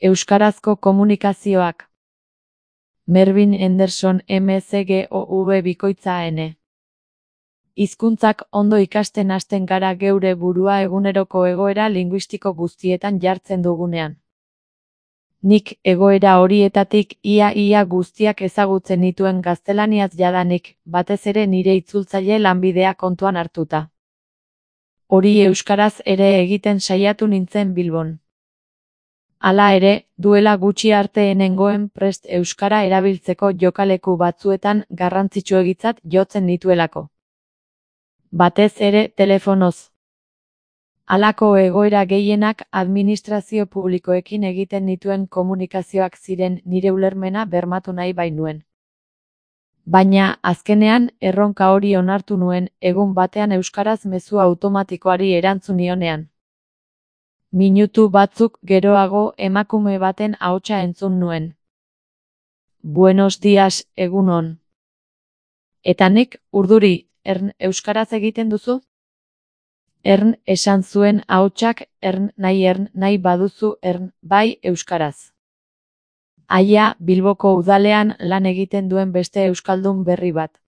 Euskarazko komunikazioak. Mervyn Henderson MCGOV bikoitza N. Hizkuntzak ondo ikasten hasten gara geure burua eguneroko egoera linguistiko guztietan jartzen dugunean. Nik egoera horietatik ia guztiak ezagutzen nituen gaztelaniaz jadanik, batez ere nire itzultzaile lanbidea kontuan hartuta. Hori euskaraz ere egiten saiatu nintzen Bilbon. Hala ere, duela gutxi arte nengoen prest euskara erabiltzeko jokaleku batzuetan garrantzitsuegitzat jotzen nituelako. Batez ere telefonoz. Halako egoera gehienak administrazio publikoekin egiten nituen komunikazioak ziren nire ulermena bermatu nahi bainuen. Baina, azkenean, erronka hori onartu nuen, egun batean euskaraz mezu automatikoari erantzun nionean. Minutu batzuk geroago emakume baten ahotsa entzun nuen. Buenos dias, egun on. Eta nik, urduri, euskaraz egiten duzu? Esan zuen ahotsak, nahi baduzu, bai euskaraz. Aia, Bilboko udalean lan egiten duen beste euskaldun berri bat.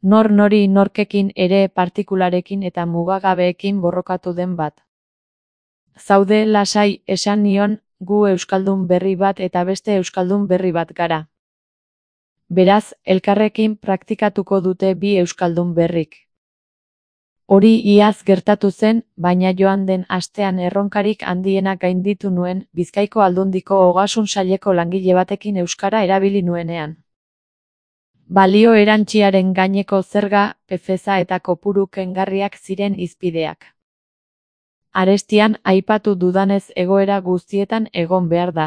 Nori norkekin ere partikularekin eta mugagabeekin borrokatu den bat. Zaude lasai, esan nion, gu euskaldun berri bat eta beste euskaldun berri bat gara. Beraz, elkarrekin praktikatuko dute bi euskaldun berrik. Hori iaz gertatu zen, baina joan den astean erronkarik handienak gainditu nuen, Bizkaiko Aldundiko Ogasun Saileko langile batekin euskara erabili nuenean. Balio erantsiaren gaineko zerga, PFeza eta kopuru kengarriak ziren hizpideak. Arestian aipatu dudanez egoera guztietan egon behar da.